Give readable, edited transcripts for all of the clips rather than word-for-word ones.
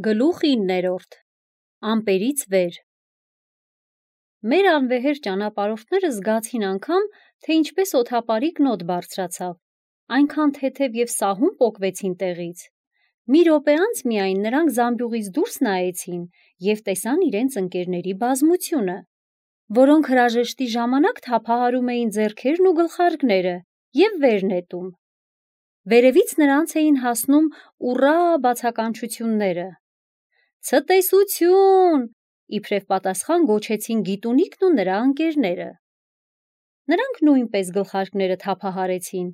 Գլուխ 9-րդ Ամպերից վեր Մեր անվեհեր ճանապարհորդները զգացին անգամ, թե ինչպես օդապարիկն օդ բարձրացավ, այնքան թեթև և սահուն պոկվեցին տեղից։ Մի րոպե անց միայն նրանք զամբյուղից դուրս նայեցին և տեսան իրենց ընկերների բազմությունը, որոնք հրաժեշտի ժամանակ թափահարում էին ձեռքերն ու գլխարկները և վեր նետում։ Վերևից նրանց էին հասնում «ուռա» բացականչությունները։ «Ցտեսություն» իբրև պատասխան գոչեցին Գիտունիկն ու նրա ընկերները։ Նրանք նույնպես գլխարկները թափահարեցին։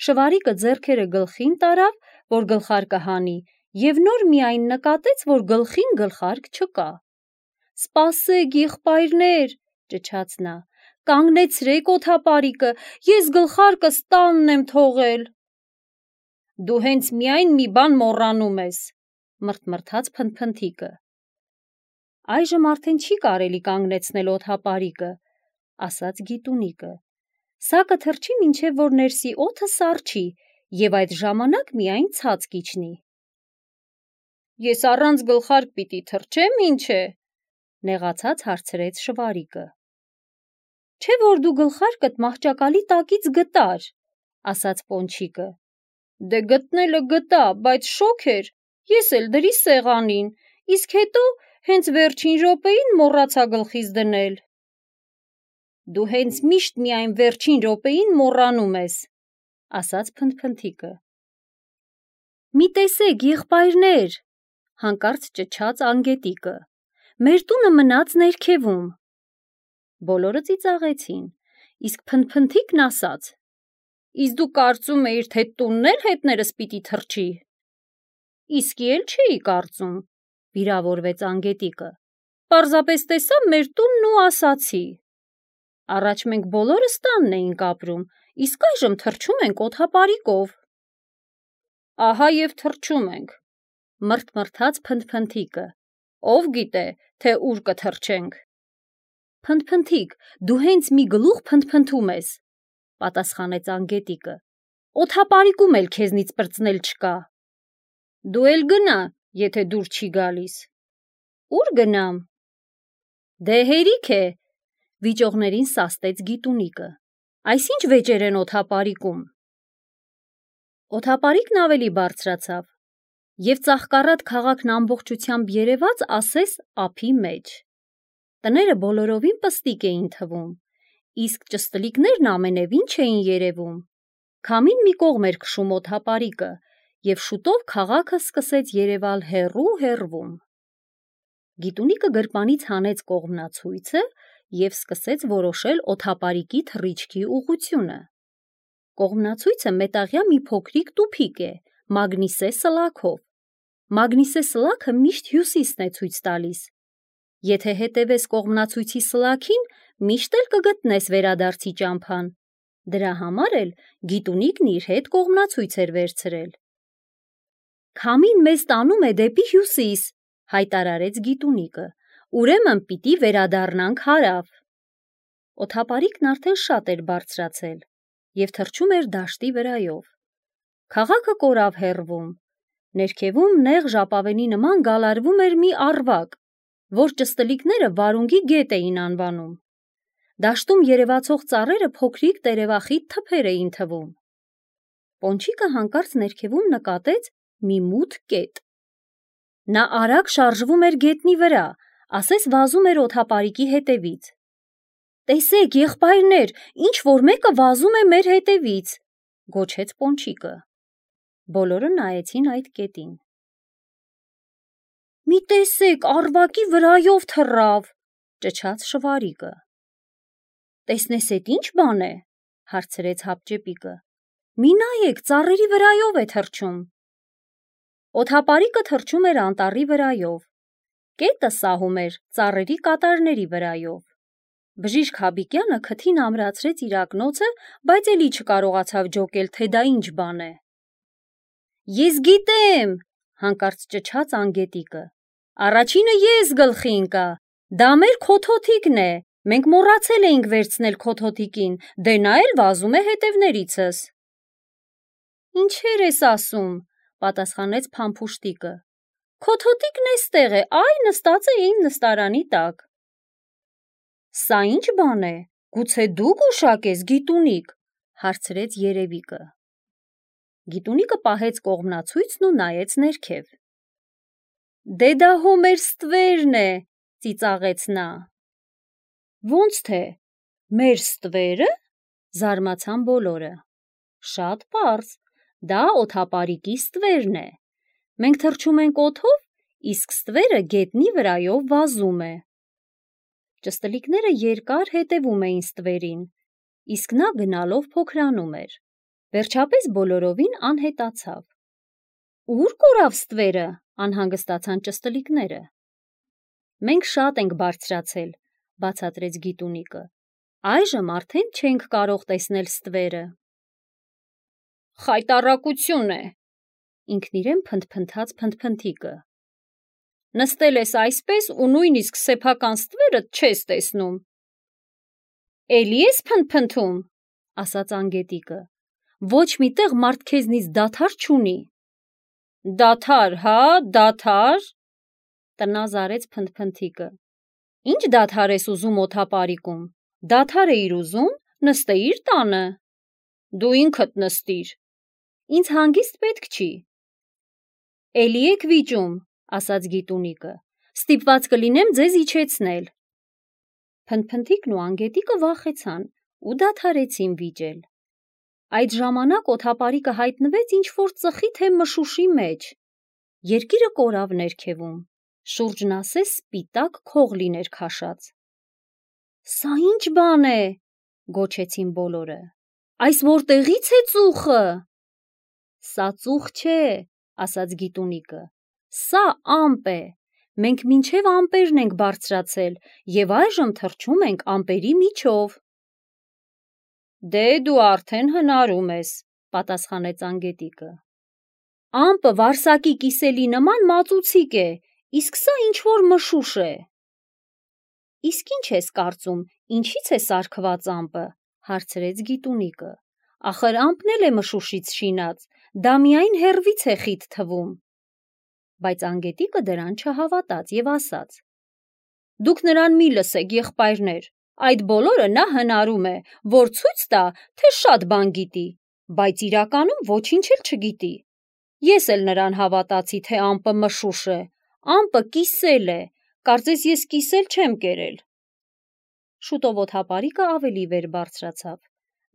Շվարիկը ձեռքերը գլխին տարավ, որ գլխարկը հանի, և նոր միայն նկատեց, որ գլխին գլխարկ չկա։ «Սպասեք, եղբայրներ», ճչաց նա, «կանգնեցրեք օդապարիկը, ես գլխարկս տանն եմ թողել»։ «Դու հենց միայն մի բան մոռանում ես», մռթմռթաց Փնթփնթիկը։ «Այժմ արդեն չի կարելի կանգնեցնել օդապարիկը», ասաց Գիտունիկը։ «Սա կթռչի, մինչև որ ներսի օդը սառչի, և այդ ժամանակ միայն ցած կիջնի»։ «Ես առանց գլխարկ պիտի թռչե՞մ, ինչ է», նեղացած հարցրեց Շվարիկը։ «Չէ՞ որ դու գլխարկդ մահճակալի տակից գտար», ասաց Պոնչիկը։ «Դե գտնելը գտա, բայց շոգ էր, ես էլ դրի սեղանին, իսկ հետո հենց վերջին րոպեին մոռացա գլխիս դնել»։ «Դու հենց միշտ միայն վերջին րոպեին մոռանում ես», ասաց Փնթփնթիկը։ «Մի տեսեք, եղբայրներ», հանկարծ ճչաց Անգետիկը, «մեր տունը մնաց ներքևում»։ Բոլորը ծիծաղեցին, իսկ Փնթփնթիկն ասաց. «Իսկ դու կարծում էիր, թե տունն էլ հետներս պիտի թռչի»։ «Իսկի էլ չէի կարծում», վիրավորվեց Անգետիկը, «պարզապես տեսա մեր տունն ու ասացի։ Առաջ մենք բոլորս տանն էինք ապրում, իսկ այժմ թռչում ենք օդապարիկով»։ «Ահա և թռչում ենք», մռթմռթաց Փնթփնթիկը, «ով գիտե, թե ուր կթռչենք»։ «Փնթփնթիկ, դու հենց մի գլուխ փնթփնթում ես», պատասխանեց Անգետիկը, «օդապարիկում էլ քեզնից պրծնել չկա»։ «Դու էլ գնա, եթե դուր չի գալիս»։ «Ուր գնամ»։ «Դե հերիք է», վիճողներին սաստեց Գիտունիկը, «այսինչ վեճեր են օդապարիկում»։ Օդապարիկն ավելի բարձրացավ, և ծաղկառատ քաղաքն ամբողջությամբ երևաց ասես ափի մեջ։ Տները բոլորովին պստիկ էին թվում, իսկ ճստլիկներն ամենևին չէին երևում։ Քամին մի կողմ էր քշում օդապարիկը, և շուտով քաղաքը սկսեց երևալ հեռու-հեռվում։ Գիտունիկը գրպանից հանեց կողմնացույցը և սկսեց որոշել օդապարիկի թռիչքի ուղղությունը։ Կողմնացույցը մետաղյա մի փոքրիկ տուփիկ է, մագնիսե սլաքով։ Մագնիսե սլաքը միշտ հյուսիսն է ցույց տալիս։ Եթե հետևես կողմնացույցի սլաքին, միշտ էլ կգտնես վերադարձի ճամփան։ Դրա համար էլ Գիտունիկն իր հետ կողմնացույց էր վերցրել։ «Քամին մեզ տանում է դեպի հյուսիս», հայտարարեց Գիտունիկը, «ուրեմն պիտի վերադառնանք հարավ»։ Օդապարիկն արդեն շատ էր բարձրացել և թռչում էր դաշտի վրայով։ Քաղաքը կորավ հեռվում։ Ներքևում նեղ ժապավենի նման գալարվում էր մի առվակ, որ ճստլիկները վարունգի գետ էին անվանում։ Դաշտում երևացող ծառերը փոքրիկ տերևախիտ թփեր էին թվում։ Պոնչիկը հանկարծ ներքևում նկատեց մի մութ կետ։ Նա արագ շարժվում էր գետնի վրա, ասես վազում էր օդապարիկի հետևից։ «Տեսեք, եղբայրներ, ինչ-որ մեկը վազում է մեր հետևից», գոչեց Պոնչիկը։ Բոլորը նայեցին այդ կետին։ «Մի տեսեք, առվակի վրայով թռավ», ճչաց Շվարիկը։ «Տեսնես էդ ինչ բան է», հարցրեց Հապճեպիկը։ «Մի նայեք, ծառերի վրայով է թռչում»։ Օդապարիկը թռչում էր անտառի վրայով։ Կետը սահում էր ծառերի կատարների վրայով։ Բժիշկ Հաբիկյանը քթին ամրացրեց իր ակնոցը, բայց էլի չկարողացավ ջոկել, թե դա ինչ բան է։ «Ես գիտեմ», հանկարծ ճչաց Անգետիկը։ «Առաջինը ես գլխի ընկա։ Դա մեր քոթոթիկն է։ Մենք մոռացել էինք վերցնել քոթոթիկին, դե նա էլ վազում է հետևներիցս»։ «Ինչեր ես ասում», պատասխանեց Փամփուշտիկը։ Քո թոթիկն էստեղ է, այ նստած է իմ նստարանի տակ։ Սա ինչ բան է, գուցե դու գուշակ ես, Գիտունիկ, հարցրեց երևիկը։ Գիտունիկը պահեց կողմնացույցն ու նայեց ներքև։ Դե դա հո մեր ստվերն է, ծիծաղեց նա։ Ոնց թե, մեր ստվերը, զարմացան բոլորը։ Շատ պարզ, դա օդապարիկի ստվերն է։ Մենք թռչում ենք օդով, իսկ ստվերը գետնի վրայով վազում է։ Ճստլիկները երկար հետևում էին ստվերին, իսկ նա գնալով փոքրանում էր։ Վերջապես բոլորովին անհետացավ։ Ուր կորավ ստվերը, անհանգստացան ճստլիկները։ Մենք շատ ենք բարձրացել, բացատրեց Գիտունիկը։ Այժմ արդեն չենք կարող տեսնել ստվերը։ Խայտառակություն է, ինքն իրեն փնթփնթաց Փնթփնթիկը։ Նստել ես այսպես ու նույնիսկ սեփական ստվերը չես տեսնում։ Էլի ես փնթփնթում, ասաց Անգետիկը։ Ոչ մի տեղ մարդ քեզնից դադար չունի։ Դադար, հա, դադար, տնազարեց Փնթփնթիկը։ Ինչ դադար ես ուզում օդապարիկում։ Դադար էիր ուզում, նստեիր տանը։ Դու ինքդ նստիր։ Ինձ հանգիստ պետք չի։ Էլի եք վիճում, ասաց Գիտունիկը, ստիպված կլինեմ ձեզ իջեցնել։ Փնթփնթիկն ու Անգետիկը վախեցան ու դադարեցին վիճել։ Այդ ժամանակ օդապարիկը հայտնվեց ինչ-որ ծխի թե մշուշի մեջ։ Երկիրը կորավ ներքևում, շուրջն ասես սպիտակ քող լիներ քաշած։ Սա ինչ բան է, գոչեցին բոլորը։ Այս որտեղից է ծուխը։ Սա ծուխ չէ, ասաց Գիտունիկը, սա ամպ է, մենք մինչև ամպերն ենք բարձրացել և այժմ թռչում ենք ամպերի միջով։ Դե դու արդեն հնարում ես, պատասխանեց Անգետիկը։ Ամպը վարսակի կիսելի նման մածուցիկ է, իսկ սա ինչ-որ մշուշ է։ Իսկ ինչ ես կարծում, ինչից է սարքված ամպը, հարցրեց Գիտունիկը։ Ախր ամպն էլ է մշուշից շինած, դա միայն հեռվից է խիտ թվում։ Բայց Անգետիկը դրան չհավատաց և ասաց. Դուք նրան մի լսեք, եղբայրներ, այդ բոլորը նա հնարում է, որ ցույց տա, թե շատ բան գիտի, բայց իրականում ոչինչ էլ չգիտի։ Ես էլ նրան հավատացի, թե ամպը մշուշ է, ամպը կիսել է, կարծես ես կիսել չեմ կերել։ Շուտով օդապարիկը ավելի վեր բարձրացավ,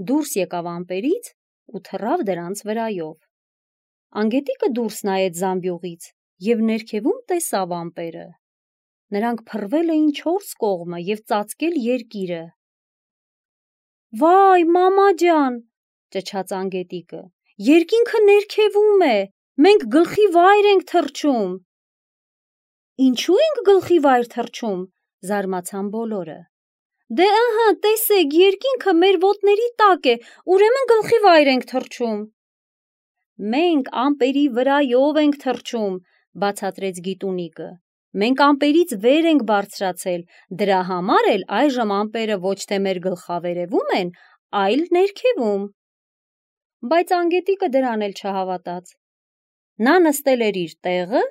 դուրս եկավ ամպերից ու թռավ դրանց վրայով։ Անգետիկը դուրս նայեց զամբյուղից և ներքևում տեսավ ամպերը։ Նրանք փռվել էին 4 կողմը և ծածկել երկիրը։ Վայ, մամա ջան, ճչաց Անգետիկը, երկինքը ներքևում է, մենք գլխի վայր ենք թռչում։ Ինչու ենք գլխի վայր թռչում, զարմացան բոլորը։ Դե ըհը, տեսեք, երկինքը մեր ոտների տակ է, ուրեմն գլխի վայր ենք թռչում։ Մենք ամպերի վրայով ենք թռչում, բացատրեց Գիտունիկը։ Մենք ամպերից վեր ենք բարձրացել, դրա համար էլ այժմ ամպերը ոչ թե մեր գլխավերևում են, այլ ներքևում։ Բայց Անգետիկը դրան էլ չհավատաց։ Նա նստել էր իր տեղը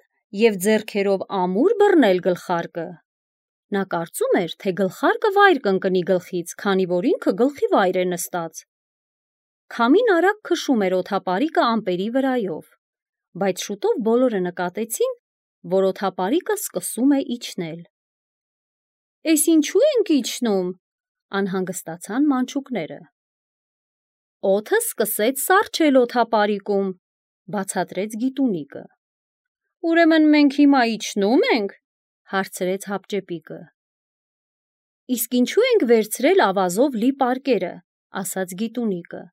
և ձեռքերով ամուր բռնել գլխարկը։ Նա կարծում էր, թե գլխարկը վայր կընկնի գլխից, քանի որ ինքը գլխի վայր է նստած։ Քամին արագ քշում էր օդապարիկը ամպերի վրայով, բայց շուտով բոլորը նկատեցին, որ օդապարիկը սկսում է իջնել։ Էս ինչու ենք իջնում, անհանգստացան մանչուկները։ Օդը սկսեց սառչել օդապարիկում, բացատրեց Գիտունիկը։ Ուրեմն մենք հիմա իջնո՞ւմ ենք, հարցրեց Հապճեպիկը։ Իսկ ինչու ենք վերցրել ավազով լի պարկերը, ասաց Գիտունիկը։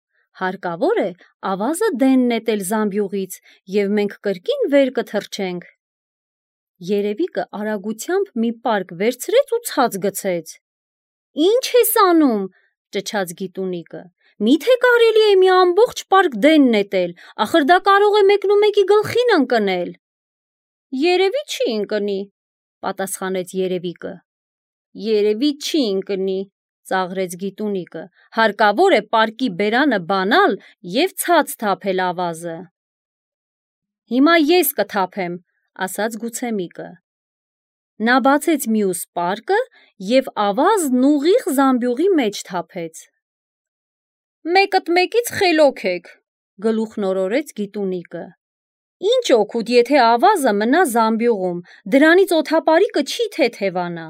Հարկավոր է ավազը դեն նետել զամբյուղից և մենք կրկին վեր կթռչենք։ Երևիկը արագությամբ մի պարկ վերցրեց ու ցած գցեց։ Ինչ ես անում, ճչաց Գիտունիկը։ Միթե կարելի է մի ամբողջ պարկ դեն նետել, ախր դա կարող է մեկնումեկի գլխին ընկնել։ Երևի չի ընկնի, պատասխանեց Երևիկը։ Երևի չի ընկնի, ծաղրեց Գիտունիկը, հարկավոր է պարկի բերանը բանալ և ցած թափել ավազը։ Հիմա ես կթափեմ, ասաց Գուցեմիկը։ Նա բացեց մյուս պարկը և ավազն ուղիղ զամբյուղի մեջ թափեց։ Մեկըդ մեկից խելոք եք, գլուխն օրորեց Գիտունիկը։ Ինչ օգուտ, եթե ավազը մնա զամբյուղում, դրանից օդապարիկը չի թեթևանա։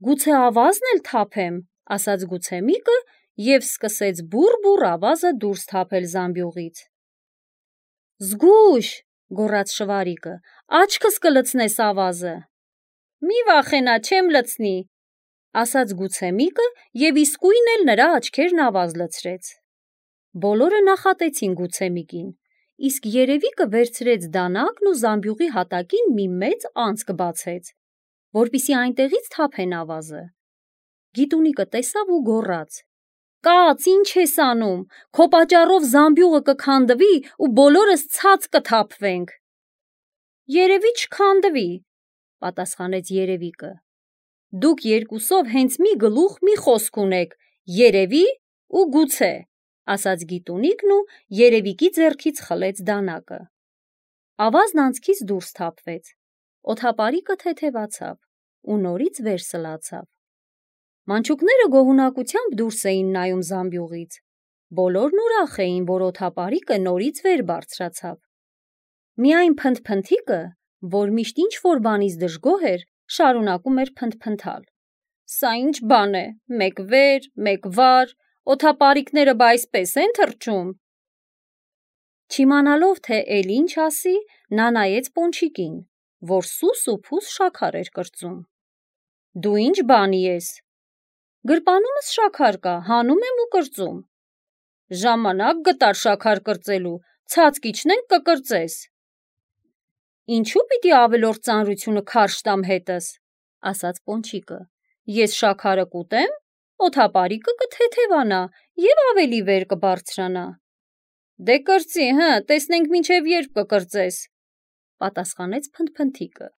Գուցե ավազն էլ թափեմ, ասաց Գուցեմիկը և սկսեց բուռ-բուռ ավազը դուրս թափել զամբյուղից։ Զգույշ, գոռաց Շվարիկը, աչքս կլցնես ավազը։ Մի վախենա, չեմ լցնի, ասաց Գուցեմիկը և իսկույն էլ նրա աչքերն ավազ լցրեց։ Բոլորը նախատեցին Գուցեմիկին, իսկ Երևիկը վերցրեց դանակն ու զամբյուղի հատակին մի մեծ անցք բացեց, որպեսզի այնտեղից թափեն ավազը։ Գիտունիկը տեսավ ու գոռաց. Կաց, ինչ ես անում, քո պատճառով զամբյուղը կքանդվի ու բոլորս ցած կթափվենք։ Երևի չքանդվի, պատասխանեց Երևիկը։ Դուք երկուսով հենց մի գլուխ մի խոսք ունեք, երևի ու գուցե, ասաց Գիտունիկն ու Երևիկի ձեռքից խլեց դանակը։ Ավազն անցքից դուրս թափվեց, օդապարիկը թեթևացավ ու նորից վեր սլացավ։ Մանչուկները գոհունակությամբ դուրս էին նայում զամբյուղից։ Բոլորն ուրախ էին, որ օդապարիկը նորից վեր բարձրացավ։ Միայն Փնթփնթիկը, որ միշտ ինչ-որ բանից դժգոհ էր, շարունակում էր փնթփնթալ։ Սա ինչ բան է, մեկ վեր, մեկ վար, օդապարիկները բա այսպես են թռչում։ Չիմանալով, թե էլ ինչ ասի, նա նայեց Պոնչիկին, որ սուս ու փուս շաքար էր կրծում։ Դու ինչ բանի ես։ Գրպանումս շաքար կա, հանում եմ ու կրծում։ Ժամանակ գտար շաքար կրծելու, ցած կիջնենք կկրծես։ Ինչու պիտի ավելորդ ծանրությունը քարշ տամ հետս, ասաց Պոնչիկը։ Ես շաքարը կուտեմ, օդապարիկը կթեթևանա և ավելի վեր կբարձրանա։ Դե կրծի, տեսնենք մինչև երբ կկրծես, պատասխանեց Փնթփնթիկը։